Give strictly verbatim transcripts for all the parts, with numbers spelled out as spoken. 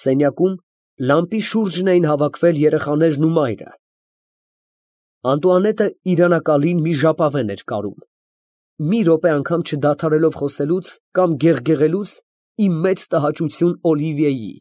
Սենյակում լամպի շուրջն էին հավաքվել երեխաներն ու մայրը։ Անտուանետը իրանակալին մի ժապավեն էր կարում, մի րոպե անգամ չդադարելով խոսելուց կամ գեղգեղելուց ի մեծ տհաճություն Օլիվիեի,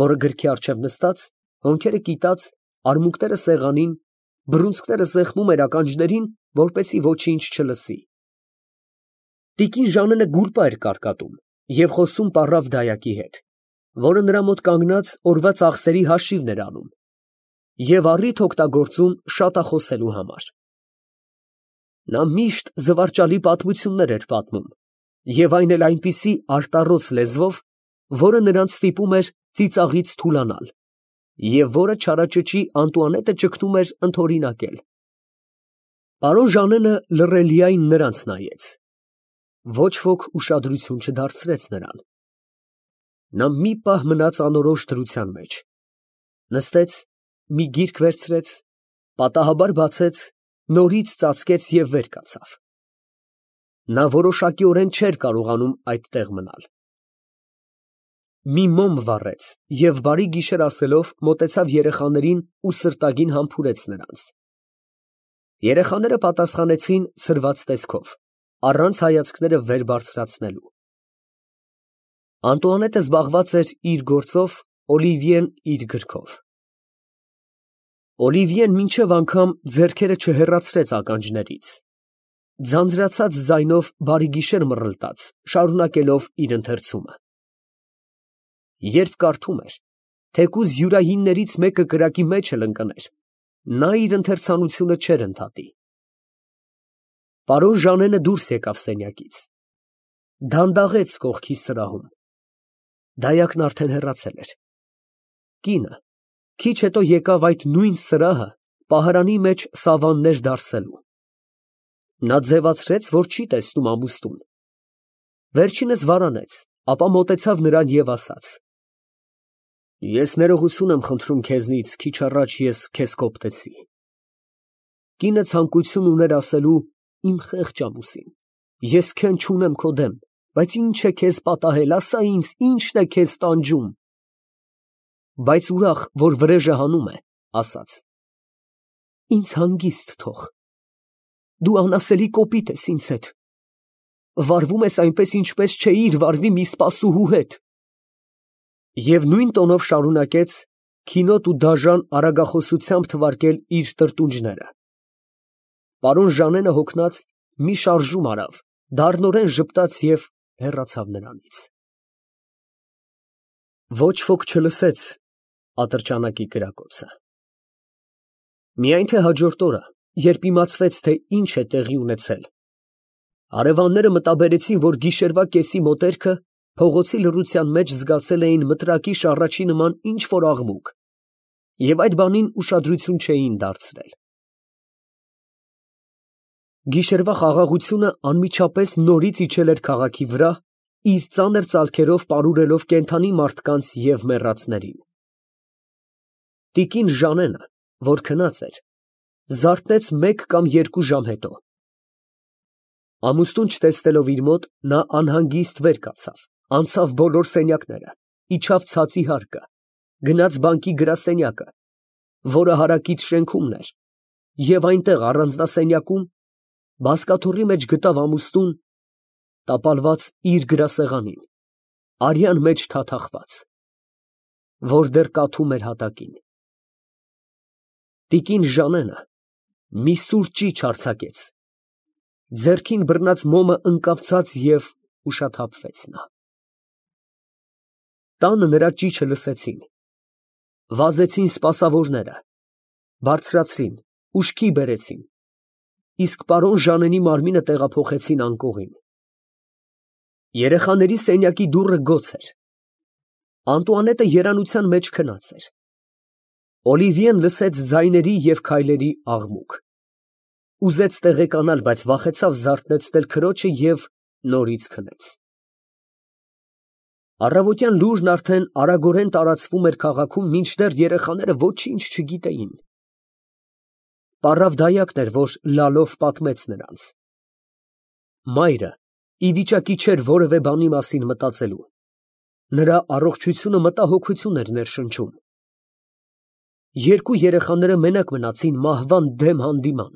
որը գրքի առջև նստած, հոնքերը կիտած, արմունկները սեղանին, բռունցքները սեղմում էր ականջներին, որպեսզի ոչինչ չլսի։ Տիկին Ժաննը գուլպա էր կարկատում և խոսում պառավ դայակի հետ, որը նրա մոտ կանգնած օրվա ծախսերի հաշիվն էր անում և առիթ օգտագործում շատախոսելու համար։ Նա միշտ զվարճալի պատմություններ էր պատմում և այն էլ այնպիսի արտառոց լեզվով, որը նրանց ստիպում էր ծիծաղից թուլանալ և որը չարաճճի Անտուանետը ճգնում էր ընդօրինակել։ Պարոն Ժանենը լռելիայն նրանց նայեց, ոչ ոք ուշադրություն չդարձրեց նրան։ Նա մի պահ մնաց անորոշ դրության մեջ, նստեց, մի գիրք վերցրեց, պատահաբար բացեց, նորից ծածկեց և վեր կացավ։ Նա որոշակիորեն չէր կարողանում այդտեղ մնալ։ Մի մոմ վառեց և բարի գիշեր ասելով մոտեցավ երեխաներին ու սրտագին համբուրեց նրանց։ Երեխաները պատասխանեցին ցրված տեսքով, առանց հայացքները վեր բարձրացնելու։ Անտուանետը զբաղված էր իր գործով, Օլիվիեն իր գրքով։ Օլիվիեն մինչև անգամ ձեռքերը չհեռացրեց ականջներից, ձանձրացած ձայնով բարի գիշեր մռլտաց, շարունակելով իր ընթերցումը։ Երբ կարդում էր, թեկուզ յուրայիններից մեկը կրակի մեջ էլ ընկներ, նա իր ընթերցանությունը չէր ընդհատի։ Պարոն Ժանենը դուրս եկավ սենյակից, դանդաղեց կողքի սրահում, դայակն արդեն հեռացել էր։ Կինը քիչ հետո եկավ այդ նույն սրահը պահարանի մեջ սավաններ դարսելու։ Նա ձևացրեց, որ չի տեսնում ամուստուն, վերջինս վարանեց, ապա մոտեցավ նրան և ասաց. «Ես ներողություն եմ խնդրում քեզնից, քիչ առաջ ես քեզ կոպտեցի»։ Կինը ցանկություն ուներ ասելու. «Իմ խեղճ ամուսին, ես քեն չունեմ քո դեմ, բայց ի՞նչ է քեզ պատահել, ասա ինձ, ի՞նչն է քեզ տանջում»։ Բայց ուրախ, որ վրեժը հանում է, ասաց. «Ինձ հանգիստ թող, դու անասելի կոպիտ ես ինձ հետ, վարվում ես այնպես, ինչպես չէիր վարվի մի սպասուհու հետ»։ Եվ նույն տոնով շարունակեց քինոտ ու դաժան արագախոսությամբ թվարկել իր տրտունջները։ Պարոն Ժանենը հոգնած մի շարժում արավ, դառնորեն ժպտաց և հեռացավ նրանից։ Ոչ ոք չլսեց ատրճանակի կրակոցը։ Միայն թե հաջորդ օրը, երբ իմացվեց, թե ինչ է տեղի ունեցել, հարևանները մտաբերեցին, որ գիշերվա կեսի մոտերքը փողոցի լռության մեջ զգացել էին մտրակի շառաչի նման ինչ֊որ աղմուկ և այդ բանին ուշադրություն չէին դարձրել։ Գիշերվա խաղաղությունը անմիջապես նորից իջել էր քաղաքի վրա, իր ծանր ծալքերով պարուրելով կենդանի մարդկանց և մեռածներին։ Տիկին Ժանենը, որ քնած էր, զարթնեց մեկ կամ երկու ժամ հետո։ Ամուսնուն չտեսնելով իր մոտ, նա անհանգիստ վեր կացավ, անցավ բոլոր սենյակները, իջավ ցածի հարկը, գնաց բանկի գրասենյակը, որը հարակից շենքումն էր, և այնտեղ առանձնասենյակում բազկաթոռի մեջ գտավ ամուսնուն տապալված իր գրասեղանին, արյան մեջ թաթախված, որ դեռ կաթում էր հատակին։ Տիկին Ժանենը մի սուր ճիչ արձակեց, ձեռքին բռնած մոմը ընկավ ցած և ուշաթափվեց նա։ Տանը նրա ճիչը լսեցին, վազեցին սպասավորները, բարձրացրին, ուշքի բերեցին, իսկ պարոն Ժանենի մարմինը տեղափոխեցին անկողին։ Երեխաների սենյակի դուռը գոց էր։ Անտուանետը երանության մեջ քնած էր։ Օլիվիեն լսեց ձայների և քայլերի աղմուկ։ Ուզեց տեղեկանալ, բայց վախեցավ զարթնեցնել քրոջը և նորից քնեց։ Առավոտյան լուրն արդեն արագորեն տարածվում էր քաղաքում, մինչդեռ երեխաները ոչինչ չգիտեին։ Պառավ դայակն էր, որ լալով պատմեց նրանց։ Մայրը ի վիճակի չէր որևէ բանի մասին մտածելու։ Նրա առողջությունը մտահոգություն էր ներշնչում։ Երկու երեխաները մենակ մնացին մահվան դեմ հանդիման։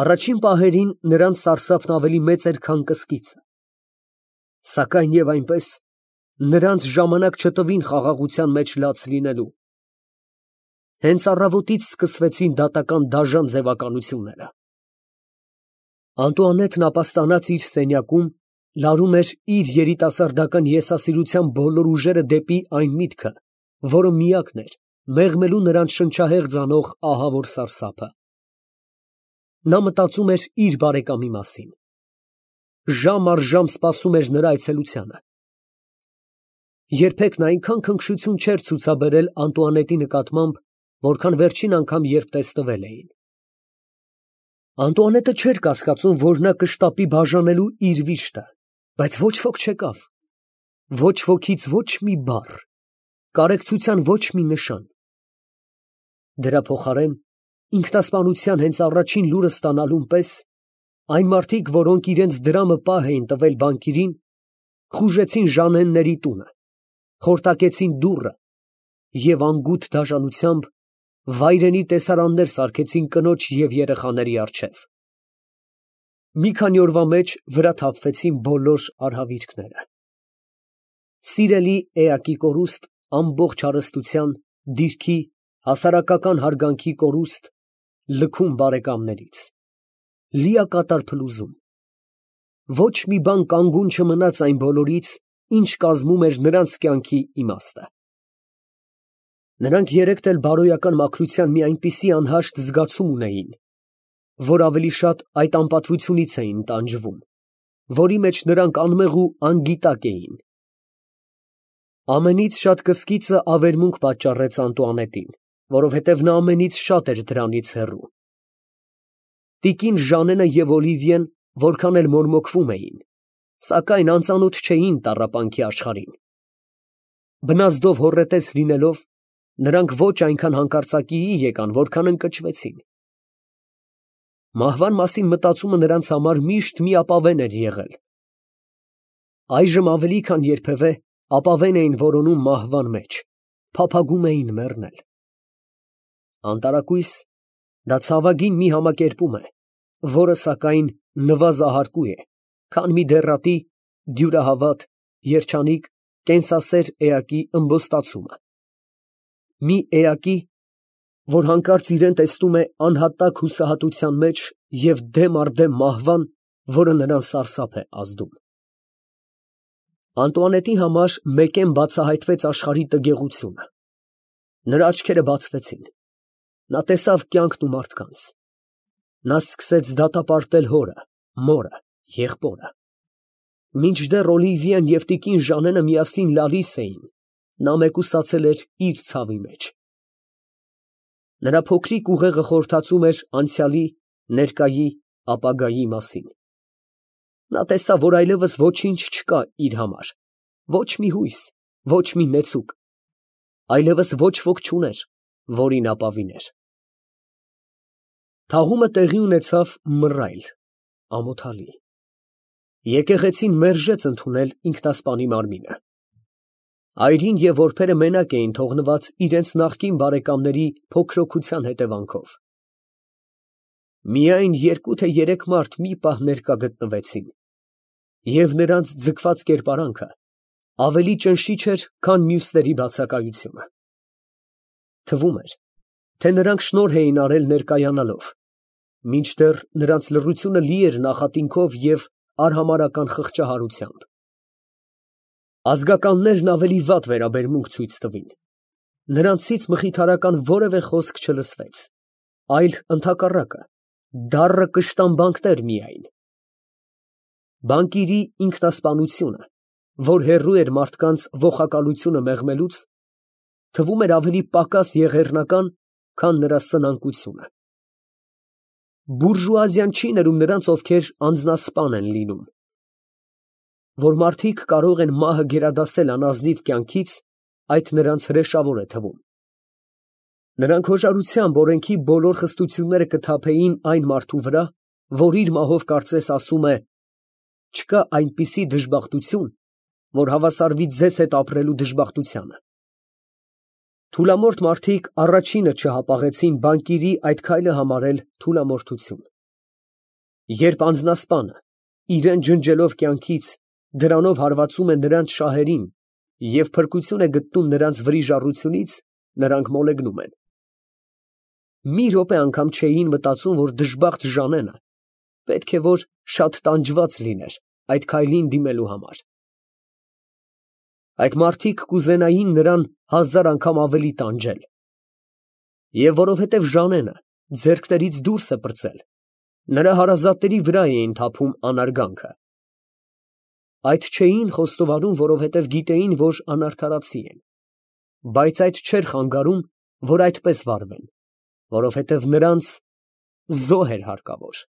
Առաջին պահերին նրանց սարսափն ավելի մեծ էր, քան կսկիծը։ Սակայն և այնպես նրանց ժամանակ չտվին խաղաղության մեջ լաց լինելու։ Հենց առավոտից սկսվեցին դատական դաժան ձևականությունները։ Անտուանետն ապաստանած իր սենյակում լարում էր իր երիտասարդական եսասիրության բոլոր ուժերը դեպի այն միտքը, որը միակն էր մեղմելու նրանց շնչահեղձ անող ահավոր սարսափը։ Նա մտածում էր իր բարեկամի մասին։ Ժամ առ ժամ սպասում էր նրա այցելությանը։ Երբեք նա այնքան քնքշություն չէր ցուցաբերել Անտուանետի նկատմամբ, որքան վերջին անգամ, երբ տեսնվել էին։ Անտուանետը չէր կասկածում, որ նա կշտապի բաժանելու իր վիշտը, բայց ոչ ոք չեկավ։ Ոչ ոքից ոչ մի բառ, կարեկցության ոչ մի նշան։ Դրա փոխարեն, ինքնասպանության հենց առաջին լուրը ստանալուն պես, այն մարդիկ, որոնք իրենց դրամը պահ էին տվել բանկիրին, խուժեցին Ժանենների տունը, խորտակեցին դուռը և անգութ դաժանությամբ վայրենի տեսարաններ սարքեցին կնոջ և երեխաների առջև։ Մի քանի օրվա մեջ վրա թափվեցին բոլոր արհավիրքները։ Սիրելի էակի կորուստ, ամբողջ հարստության, դիրքի, հասարակական հարգանքի կորուստ, լքում բարեկամներից, լիակատար փլուզում։ Ոչ մի բան կանգուն չմնաց այն բոլորից, ինչ կազմում էր նրանց կյանքի իմաստը։ Նրանք երեքդ էլ բարոյական մաքրության մի այնպիսի անհաշտ զգացում ունեին, որ ավելի շատ այդ անպատվությունից էին տանջվում, որի մեջ նրանք անմեղ ու անգիտակ էին։ Ամենից շատ կսկիծը ավերմունք պատճառեց Անտուանետին, որովհետև նա ամենից շատ էր դրանից հեռու։ Տիկին Ժանենը և Օլիվիեն որքան էլ մորմոքվում էին, սակայն անծանոթ չէին տառապանքի աշխարհին։ Բնազդով հոռետես լինելով, նրանք ոչ այնքան հանկարծակիի եկան, որքան ընկճվեցին։ Մահվան մասին մտածումը նրանց համար միշտ միապավեն էր եղել։ Այժմ ավելի քան երբևէ ապավեն էին որոնում մահվան մեջ, փափագում էին մեռնել։ Անտարակույս, դա ցավագին մի համակերպում է, որը, սակայն, նվազահարկու է, քան մի դեռատի, դյուրահավատ, երջանիկ, կենսասեր էակի ըմբոստացումը։ Մի էակի, որ հանկարծ իրան տեսնում է անհատակ հուսահատության մեջ և դեմ առ դեմ մահվան, որը նրան սարսափ է ազդում։ Անտուանետի համար մեկեն բացահայտվեց աշխարհի տգեղությունը։ Նրա աչքերը բացվեցին։ Նա տեսավ կյանքն ու մարդկանց։ Նա սկսեց դատապարտել հորը, մորը, եղբորը։ Մինչդեռ Օլիվիեն և տիկին Ժանենը միասին լալիս էին, նա մեկուսացել էր իր ցավի մեջ։ Նրա փոքրիկ ուղեղը խորհրդածում էր անցյալի, ներկայի, ապագայի մասին։ Նա տեսավ, որ այլևս ոչինչ չկա իր համար, ոչ մի հույս, ոչ մի նեցուկ, այլևս ոչ ոք չուներ, որին ապավիներ։ Թաղումը տեղի ունեցավ մռայլ, ամոթալի։ Եկեղեցին մերժեց ընդունել ինքնասպանի մարմինը։ Այրին և որբերը մենակ էին թողնված իրենց նախկին բարեկամների փոքրոքության հետևանքով։ Միայն երկու թե երեք մարդ մի պահ ներկա գտնվեցին, և նրանց ձգված կերպարանքը ավելի ճնշիչ էր, քան մյուսների բացակայությունը։ Թվում էր, թե նրանք շնորհ էին արել ներկայանալով, մինչդեռ նրանց լռությունը լի էր նախատինքով և արհամարհական խղճահարությամբ։ Ազգականներն ավելի վատ վերաբերմունք ցույց տվին։ Նրանցից մխիթարական որևէ խոսք չլսվեց, այլ ընդհակառակը, դառը կշտամբանքներ միայն։ Բանկիրի ինքնասպանությունը, որ հեռու էր մարդկանց ոխակալությունը մեղմելուց, թվում էր ավելի պակաս եղեռնական, քան նրա սնանկությունը։ Բուրժուազիան չի ներում նրանց, ովքեր անձնասպան են լինում։ Որ մարդիկ կարող են մահը գերադասել անազնիվ կյանքից, այդ նրանց հրեշավոր է թվում։ Նրանք հոժարությամբ օրենքի բոլոր խստությունները կթափեին այն մարդու վրա, որ իր մահով կարծես ասում է. չկա այնպիսի դժբախտություն, որ հավասարվի ձեզ հետ ապրելու դժբախտությանը։ Թուլամորթ մարդիկ առաջինը չհապաղեցին բանկիրի այդ քայլը համարել թուլամորթություն։ Երբ անձնասպանը, իրան ջնջելով կյանքից, դրանով հարվածում է նրանց շահերին և փրկություն է գտնում նրանց վրիժառությունից, նրանք մոլեգնում են։ Մի րոպե անգամ չէին մտածում, որ դժբախտ Ժանենը պետք է որ շատ տանջված լիներ այդ քայլին դիմելու համար։ Այդ մարդիկ կուզենային նրան հազար անգամ ավելի տանջել։ Եվ որովհետև Ժանենը ձեռքներից դուրս է պրծել, նրա հարազատների վրա էին թափում անարգանքը։ Այդ չէին խոստովանում, որովհետև գիտեին, որ անարդարացի են, բայց այդ չէր խանգարում, որ այդպես վարվեն, որովհետև նրանց զոհ էր հարկավոր։